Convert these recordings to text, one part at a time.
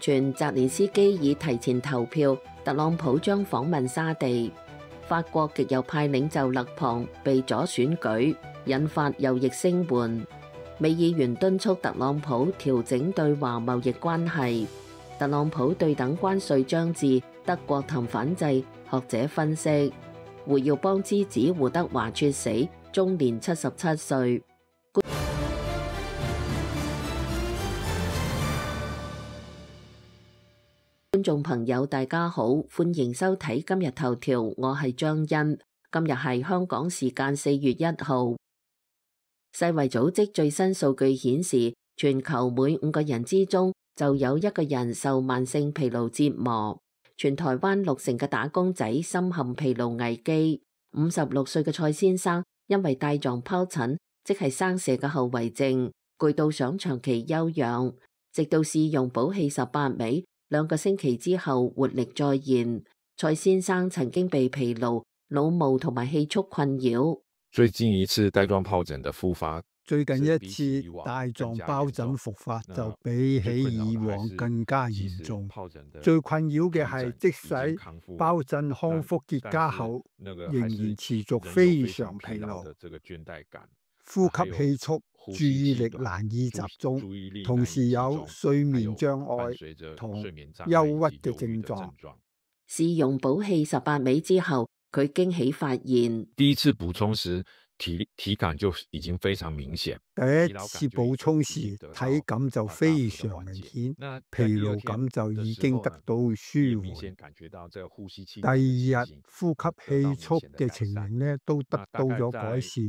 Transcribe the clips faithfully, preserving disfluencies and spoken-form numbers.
傳澤連斯基已提前投票，特朗普將訪問沙地。法國極右派領袖勒龐被阻選舉，引發右翼聲援。美議員敦促特朗普調整對華貿易關係。特朗普對等關稅將至，德國談反制。學者分析，胡耀邦之子胡德華猝死，終年七十七歲。觀眾朋友大家好，歡迎收睇今日頭條，我係張欣。今日係香港時間四月一號。世衛組織最新數據顯示，全球每五個人之中就有一個人受慢性疲勞折磨。全台灣六成嘅打工仔深陷疲勞危機。五十六歲嘅蔡先生因為帶狀疱疹，即係生蛇嘅後遺症，攰到想長期休養，直到試用補氣十八味。兩個星期之後活力再現。蔡先生曾經被疲勞、腦霧同埋氣促困擾。最近一次帶狀疱疹的復發，最近一次帶狀疱疹復發就比起以往更加嚴重。最困擾嘅係，即使疱疹康復結痂後，仍然持續非常疲勞、呼吸氣促、注意力難以集中，同時有睡眠障礙同憂鬱嘅症狀。試用補氣十八味之後，佢驚喜發現，第一次補充時體體感就已經非常明顯。第一次補充時體感就非常明顯，疲勞感就已經得到舒緩。第二日呼吸氣促嘅情形呢都得到咗改善。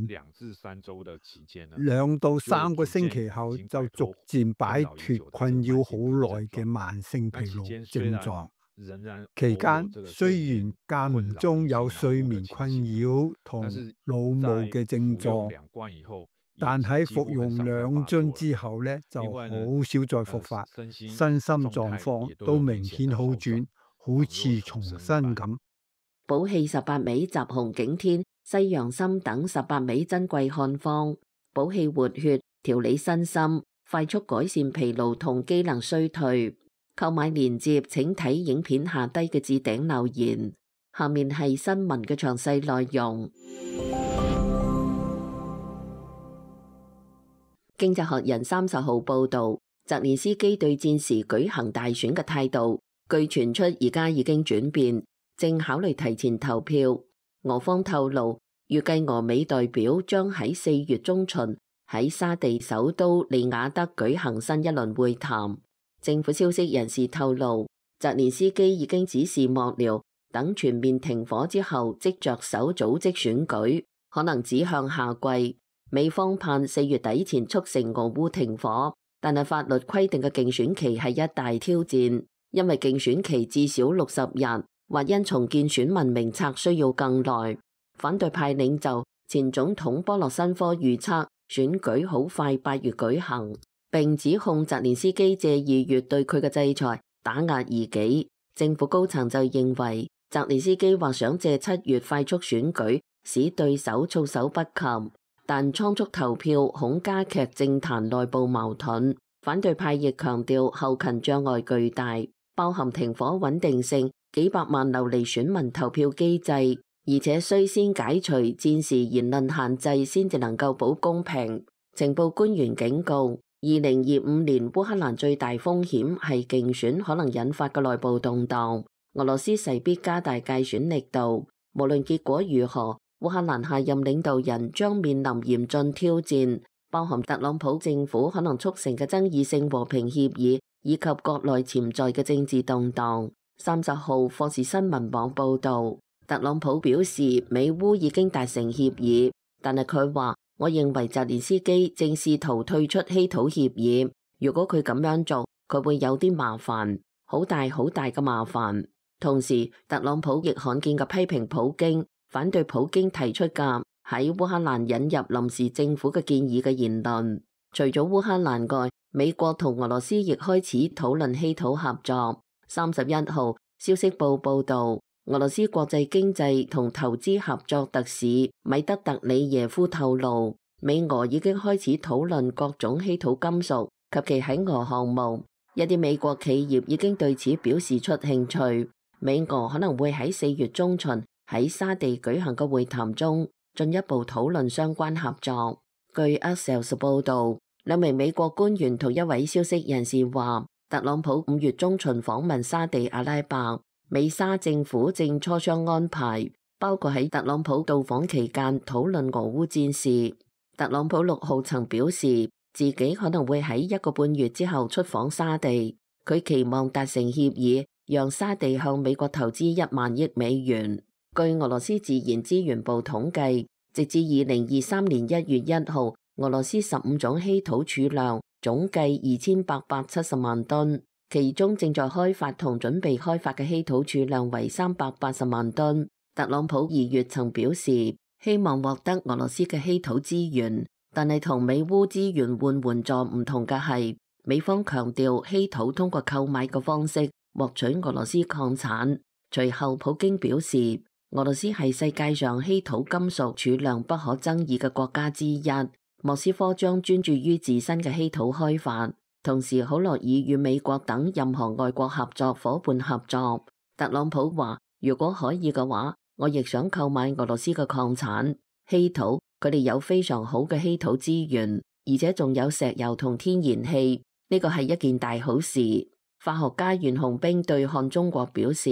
兩到三個星期後就逐漸擺脫困擾好耐嘅慢性疲勞症狀。期間雖然間唔中有睡眠困擾同腦霧嘅症狀，但喺服用兩樽之後呢，就好少再復發，身心狀況都明顯好轉，好似重新咁。補氣十八味、集紅景天、西洋參等十八味珍貴漢方，補氣活血、調理身心、快速改善疲勞同機能衰退。購買鏈接請睇影片下低嘅置頂留言。下面係新聞嘅詳細內容。經濟學人三十號報道，澤連斯基對戰時舉行大選嘅態度，據傳出而家已經轉變，正考慮提前投票。俄方透露，預計俄美代表將喺四月中旬喺沙地首都利雅得舉行新一輪會談。政府消息人士透露，澤連斯基已經指示幕僚等全面停火之後，即着手組織選舉，可能指向夏季。美方盼四月底前促成俄烏停火，但係法律規定嘅競選期係一大挑戰，因為競選期至少六十日，或因重建選民名冊需要更耐。反對派領袖前總統波洛申科預測選舉好快八月舉行，並指控澤連斯基借二月對佢嘅制裁打壓異己。政府高層就認為澤連斯基或想借七月快速選舉使對手措手不及，但倉促投票恐加劇政壇內部矛盾。反對派亦強調後勤障礙巨大，包含停火穩定性、幾百萬流離選民投票機制，而且需先解除戰時言論限制先至能夠保公平。情報官員警告，二零二五年烏克蘭最大風險係競選可能引發嘅內部動盪，俄羅斯勢必加大介選力度。無論結果如何，烏克蘭下任領導人將面臨嚴峻挑戰，包含特朗普政府可能促成嘅爭議性和平協議，以及國內潛在嘅政治動盪。三十號霍士新聞網報導，特朗普表示美烏已經達成協議，但係佢話，我認為澤連斯基正試圖退出稀土協議，如果佢咁樣做，佢會有啲麻煩，好大好大嘅麻煩。同時，特朗普亦罕見嘅批評普京，反對普京提出嘅喺烏克蘭引入臨時政府嘅建議嘅言論。除咗烏克蘭外，美國同俄羅斯亦開始討論稀土合作。三十一號，消息報報道，俄羅斯國際經濟同投資合作特使米德特里耶夫透露，美俄已經開始討論各種稀土金屬及其喺俄項目。一啲美國企業已經對此表示出興趣。美俄可能會喺四月中旬喺沙地舉行嘅會談中進一步討論相關合作。據 Axios 報導，兩名美國官員同一位消息人士話，特朗普五月中旬訪問沙地阿拉伯，美沙政府正磋商安排，包括喺特朗普到訪期間討論俄烏戰事。特朗普六號曾表示自己可能會喺一個半月之後出訪沙地，佢期望達成協議，讓沙地向美國投資一萬億美元。據俄羅斯自然資源部統計，直至二零二三年一月一號，俄羅斯十五種稀土儲量總計二千八百七十萬噸，其中正在開發同準備開發嘅稀土儲量為三百八十萬噸。特朗普二月曾表示希望獲得俄羅斯嘅稀土資源，但係同美烏資源換援助唔同嘅係，美方強調稀土通過購買嘅方式獲取俄羅斯礦產。隨後普京表示，俄羅斯係世界上稀土金屬儲量不可爭議嘅國家之一，莫斯科將專注於自身嘅稀土開發，同時好樂意與美國等任何外國合作夥伴合作。特朗普話，如果可以嘅話，我亦想購買俄羅斯嘅礦產稀土，佢哋有非常好嘅稀土資源，而且仲有石油同天然氣，呢個係一件大好事。化學家袁紅兵對看中國表示，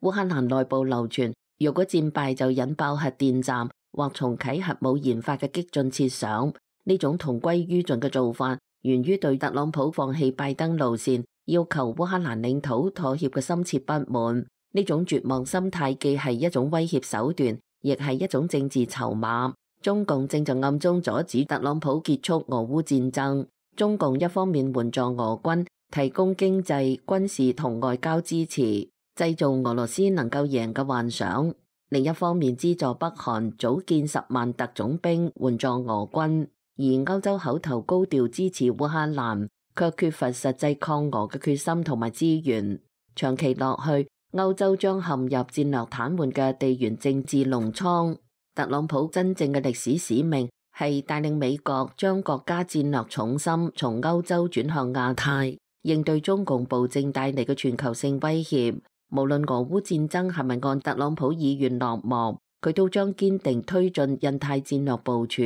烏克蘭內部流傳，如果戰敗就引爆核電站或重啟核武研發嘅激進設想，呢種同歸於盡嘅做法，源於對特朗普放棄拜登路線，要求烏克蘭領土妥協嘅深切不滿。呢種絕望心態既係一種威脅手段，亦係一種政治籌碼。中共正在暗中阻止特朗普結束俄烏戰爭。中共一方面援助俄軍，提供經濟、軍事同外交支持，製造俄羅斯能夠贏嘅幻想；另一方面資助北韓組建十萬特種兵援助俄軍。而歐洲口頭高調支持烏克蘭，卻缺乏實際抗俄嘅決心同埋資源。長期落去，歐洲將陷入戰略癱瘓嘅地緣政治農倉。特朗普真正嘅歷史使命係帶領美國將國家戰略重心從歐洲轉向亞太，應對中共暴政帶嚟嘅全球性威脅。無論俄烏戰爭係咪按特朗普意願落幕，佢都將堅定推進印太戰略部署，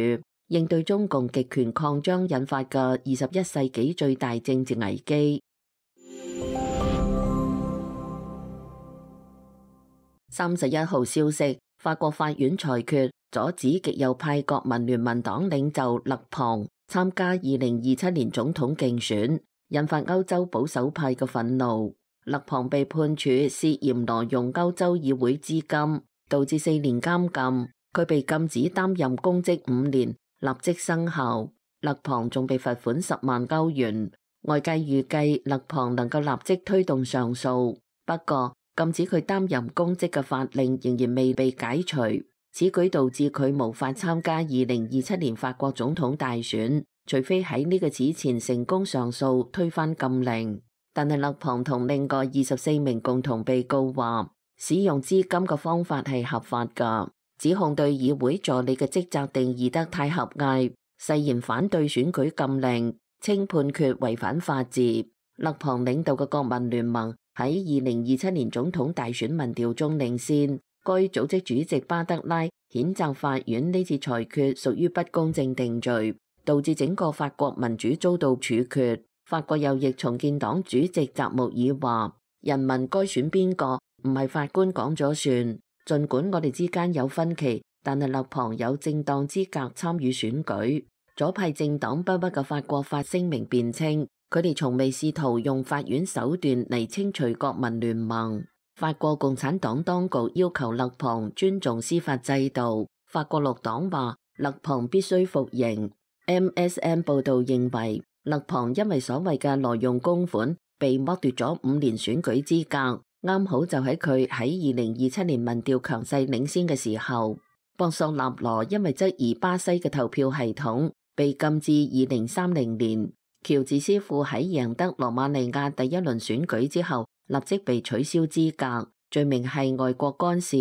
應對中共極權擴張引發嘅二十一世紀最大政治危機。三十一號消息，法國法院裁決阻止極右派國民聯盟黨領袖勒龐參加二零二七年總統競選，引發歐洲保守派嘅憤怒。勒龐被判處涉嫌挪用歐洲議會資金，導致四年監禁，佢被禁止擔任公職五年，立即生效。勒龐仲被罰款十萬歐元。外界預計勒龐能夠立即推動上訴，不過禁止佢擔任公職嘅法令仍然未被解除，此舉導致佢無法參加二零二七年法國總統大選，除非喺呢個此前成功上訴推翻禁令。但係勒龐同另外二十四名共同被告話，使用資金嘅方法係合法㗎，指控對議會助理嘅職責定義得太狹隘，誓言反對選舉禁令，稱判決違反法治。勒龐領導嘅國民聯盟喺二零二七年總統大選民調中領先，該組織主席巴德拉譴責法院呢次裁決屬於不公正定罪，導致整個法國民主遭到處決。法國右翼重建黨主席澤穆爾話：人民該選邊個唔係法官講咗算，儘管我哋之間有分歧，但係勒龐有正當資格參與選舉。左派政黨不屈嘅法國法聲明辯稱，佢哋從未試圖用法院手段嚟清除國民聯盟。法國共產黨當局要求勒龐尊重司法制度。法國綠黨話勒龐必須服刑。M S N 報導認為，勒龐因為所謂嘅挪用公款被剝奪咗五年選舉資格，啱好就喺佢喺二零二七年民調強勢領先嘅時候。博索納羅因為質疑巴西嘅投票系統，被禁至二零三零年。喬治斯庫喺贏得羅馬尼亞第一輪選舉之後，立即被取消資格，罪名係外國干涉。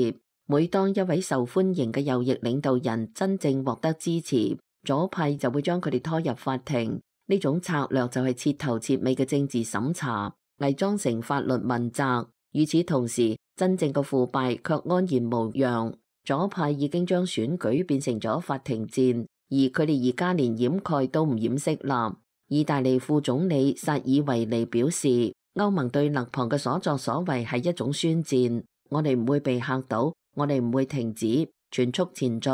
每當一位受歡迎嘅右翼領導人真正獲得支持，左派就會將佢哋拖入法庭，呢種策略就係徹頭徹尾嘅政治審查，偽裝成法律問責。與此同時，真正嘅腐敗卻安然無恙。左派已經將選舉變成咗法庭戰，而佢哋而家連掩蓋都唔掩飾啦。意大利副總理薩爾維尼表示，歐盟對勒龐嘅所作所為係一種宣戰，我哋唔會被嚇到，我哋唔會停止，全速前進。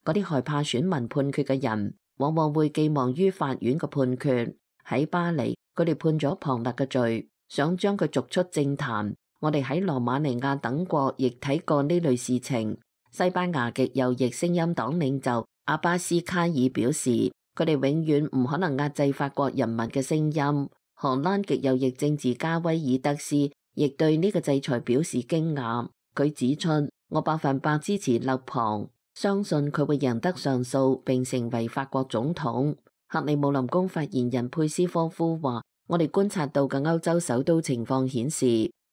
嗰啲害怕選民判決嘅人，往往會寄望於法院嘅判決。喺巴黎，佢哋判咗龐勒嘅罪，想將佢逐出政壇。我哋喺羅馬尼亞等國亦睇過呢類事情。西班牙極右翼聲音黨領袖阿巴斯卡爾表示，佢哋永遠唔可能壓制法國人民嘅聲音。荷蘭極右翼政治家威爾德斯亦對呢個制裁表示驚訝。佢指出，我百分百支持勒龐，相信佢會贏得上訴並成為法國總統。克里姆林宮發言人佩斯科夫話，我哋觀察到嘅歐洲首都情況顯示，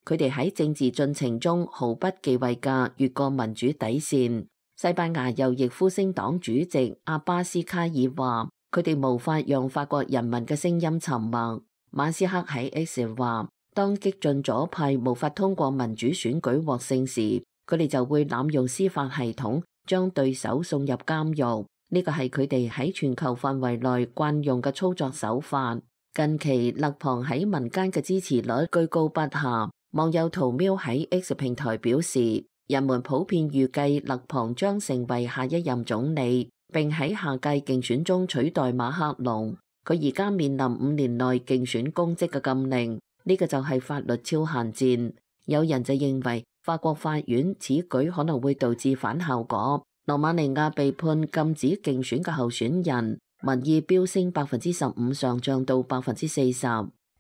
佢哋喺政治進程中毫不忌諱嘅越過民主底線。西班牙右翼呼聲黨主席阿巴斯卡爾話，佢哋無法讓法國人民嘅聲音沉默。馬斯克喺 X 話，當激進左派無法通過民主選舉獲勝時，佢哋就會濫用司法系統，將對手送入監獄。呢個係佢哋喺全球範圍內慣用嘅操作手法。近期勒龐喺民間嘅支持率居高不下。網友圖喵喺 X 平台表示，人們普遍預計勒龐將成為下一任總理，並喺下屆競選中取代馬克龍。佢而家面臨五年內競選公職嘅禁令，呢個就係法律超限戰。有人就認為法國法院此舉可能會導致反效果。羅馬尼亞被判禁止競選嘅候選人，民意飆升百分之十五上漲到百分之四十，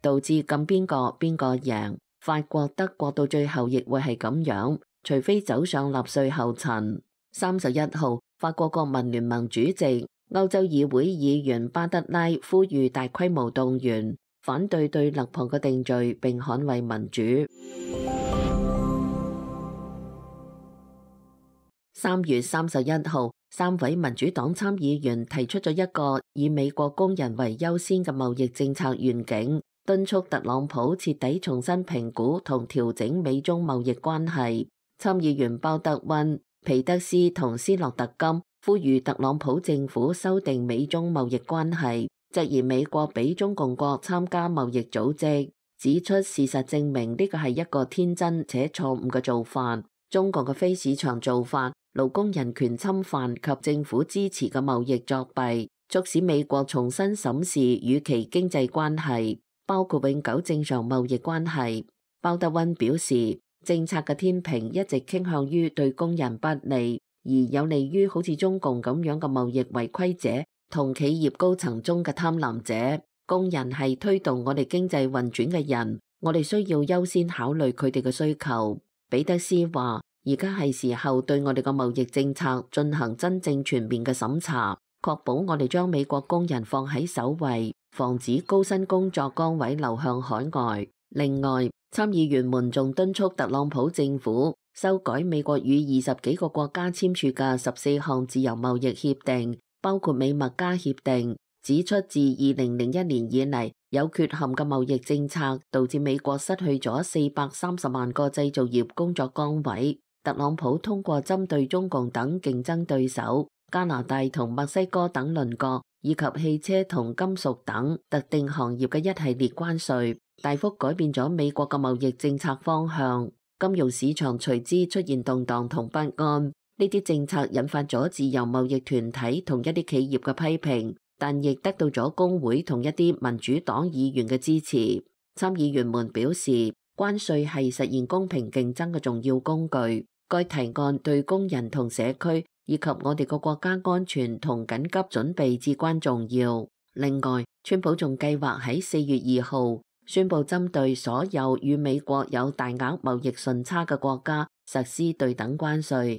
導致禁邊個邊個贏。法國、德國到最後亦會係咁樣，除非走上納粹後塵。三十一號，法國國民聯盟主席、歐洲議會議員巴德拉呼籲大規模動員，反對對勒龐嘅定罪並捍衛民主。三月三十一號，三位民主黨參議員提出咗一個以美國工人為優先嘅貿易政策願景，敦促特朗普徹底重新評估同調整美中貿易關係。參議員鮑德溫、皮德斯同斯洛特金呼籲特朗普政府修訂美中貿易關係，質疑美國俾中共國參加貿易組織，指出事實證明呢個係一個天真且錯誤嘅做法。中國嘅非市場做法、勞工人權侵犯及政府支持嘅貿易作弊，促使美國重新審視與其經濟關係，包括永久正常貿易關係。鮑德溫表示，政策嘅天平一直傾向於對工人不利，而有利於好似中共咁樣嘅貿易違規者同企業高層中嘅貪婪者。工人係推動我哋經濟運轉嘅人，我哋需要優先考慮佢哋嘅需求。彼得斯話，而家係時候對我哋嘅貿易政策進行真正全面嘅審查，確保我哋將美國工人放喺首位，防止高薪工作崗位流向海外。另外，參議員們仲敦促特朗普政府修改美國與二十幾個國家簽署嘅十四項自由貿易協定，包括美墨加協定，指出自二零零一年以嚟有缺陷嘅貿易政策導致美國失去咗四百三十萬個製造業工作崗位。特朗普通過針對中共等競爭對手、加拿大同墨西哥等鄰國，以及汽車同金屬等特定行業嘅一系列關稅，大幅改變咗美國嘅貿易政策方向。金融市場隨之出現動盪同不安。呢啲政策引發咗自由貿易團體同一啲企業嘅批評，但亦得到咗工會同一啲民主黨議員嘅支持。參議員們表示，關稅係實現公平競爭嘅重要工具。該提案對工人同社區以及我哋個國家安全同緊急準備至關重要。另外，川普仲計劃喺四月二號宣布針對所有與美國有大額貿易順差嘅國家實施對等關稅。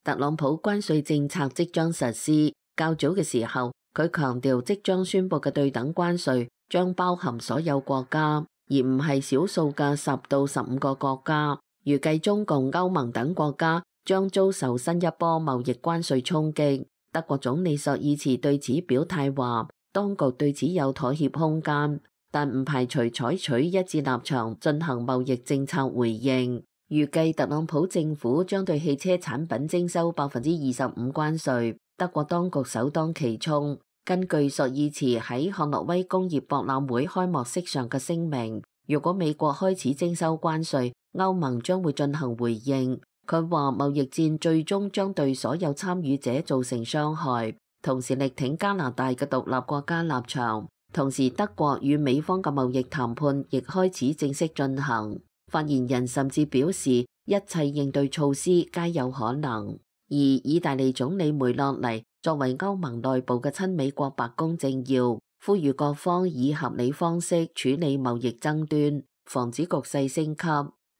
特朗普關稅政策即將實施。較早嘅時候，佢強調即將宣布嘅對等關稅將包含所有國家，而唔係少數嘅十到十五個國家。預計中共、歐盟等國家將遭受新一波貿易關稅衝擊。德國總理朔爾茨對此表態話，當局對此有妥協空間，但唔排除採取一致立場進行貿易政策回應。預計特朗普政府將對汽車產品徵收百分之二十五關稅，德國當局首當其衝。根據朔爾茨喺漢諾威工業博覽會開幕式上嘅聲明，如果美國開始徵收關稅，歐盟將會進行回應。佢話貿易戰最終將對所有參與者造成傷害，同時力挺加拿大嘅獨立國家立場。同時，德國與美方嘅貿易談判亦開始正式進行。發言人甚至表示，一切應對措施皆有可能。而意大利總理梅洛尼作為歐盟內部嘅親美國白宮政要，呼籲各方以合理方式處理貿易爭端，防止局勢升級。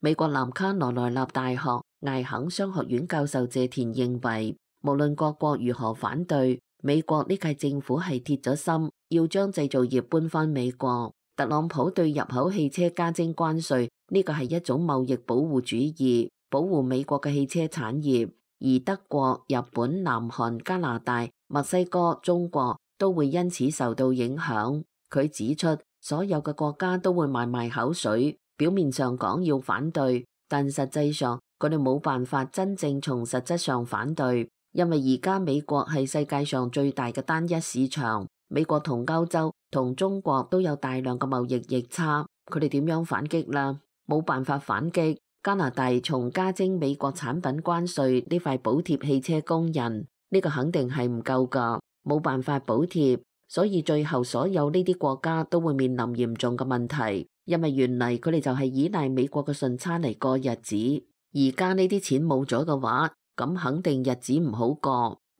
美國南卡羅來納大學艾肯商學院教授謝田認為，無論各國如何反對，美國呢屆政府係鐵咗心要將製造業搬返美國。特朗普對入口汽車加徵關稅，呢個係一種貿易保護主義，保護美國嘅汽車產業。而德國、日本、南韓、加拿大、墨西哥、中國都會因此受到影響。佢指出，所有嘅國家都會埋埋口水，表面上講要反對，但實際上佢哋冇辦法真正從實質上反對，因為而家美國係世界上最大嘅單一市場，美國同歐洲同中國都有大量嘅貿易逆差，佢哋點樣反擊啦？冇辦法反擊。加拿大從加徵美國產品關稅呢塊補貼汽車工人，呢個肯定係唔夠㗎，冇辦法補貼，所以最後所有呢啲國家都會面臨嚴重嘅問題，因為原嚟佢哋就係依賴美國嘅順差嚟過日子，而家呢啲錢冇咗嘅話，咁肯定日子唔好過，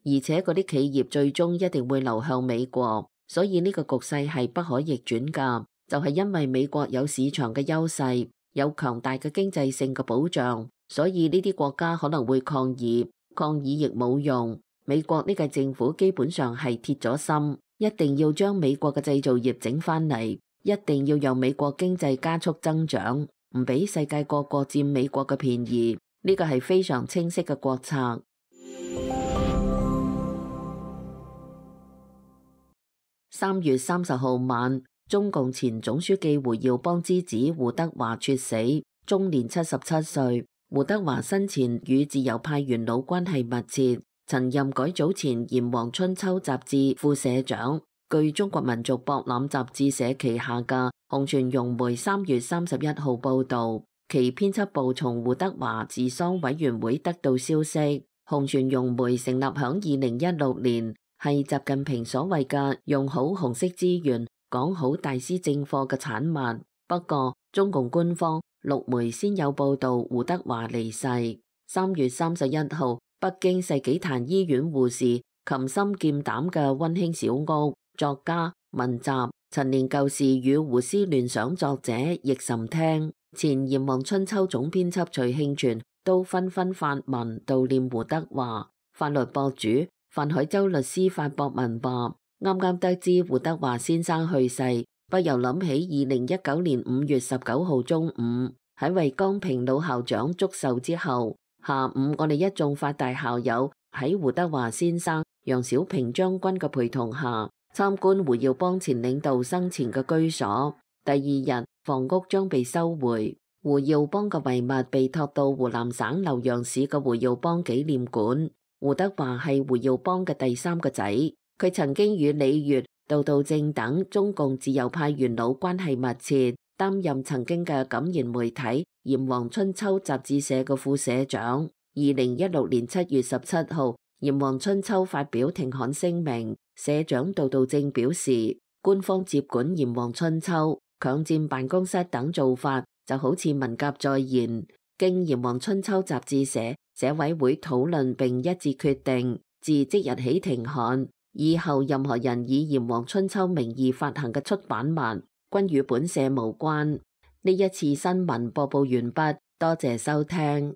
而且嗰啲企業最終一定會流向美國，所以呢個局勢係不可逆轉㗎，就係因為美國有市場嘅優勢，有強大嘅經濟性嘅保障，所以呢啲國家可能會抗議，抗議亦冇用。美國呢個政府基本上係鐵咗心，一定要將美國嘅製造業整返嚟，一定要讓美國經濟加速增長，唔俾世界各國佔美國嘅便宜。呢個係非常清晰嘅國策。三月三十號晚，中共前總書記胡耀邦之子胡德華猝死，終年七十七歲。胡德華生前與自由派元老關係密切，曾任改組前《炎黃春秋》雜誌副社長。據中國民族博覽雜誌社旗下嘅紅傳融媒三月三十一號報道，其編輯部從胡德華治喪委員會得到消息，紅傳融媒成立響二零一六年，係習近平所謂嘅用好紅色資源講好大師正課嘅產物。不過中共官方陸媒先有報道胡德華離世。三月三十一號，北京世紀壇醫院護士擒心劍膽嘅溫馨小屋，作家、文集、陳年舊事與胡思亂想作者易岑聽、前《炎黃春秋》總編輯徐慶全都紛紛發文悼念胡德華。法律博主范海洲律師發博文話：啱啱得知胡德華先生去世，不由諗起二零一九年五月十九號中午喺為江平老校長祝壽之後，下午我哋一眾法大校友喺胡德華先生、楊小平將軍嘅陪同下參觀胡耀邦前領導生前嘅居所。第二日房屋將被收回，胡耀邦嘅遺物被託到湖南省瀏陽市嘅胡耀邦紀念館。胡德華係胡耀邦嘅第三個仔，佢曾經與李月、杜道正等中共自由派元老關係密切，擔任曾經嘅感言媒體《炎黃春秋》雜誌社嘅副社長。二零一六年七月十七號，《炎黃春秋》發表停刊聲明，社長杜道正表示，官方接管《炎黃春秋》、強佔辦公室等做法就好似文革再現。經《炎黃春秋》雜誌社社委會討論並一致決定，自即日起停刊。以後任何人以《炎黃春秋》名義發行嘅出版物，均與本社無關。呢一次新聞播報完畢，多謝收聽。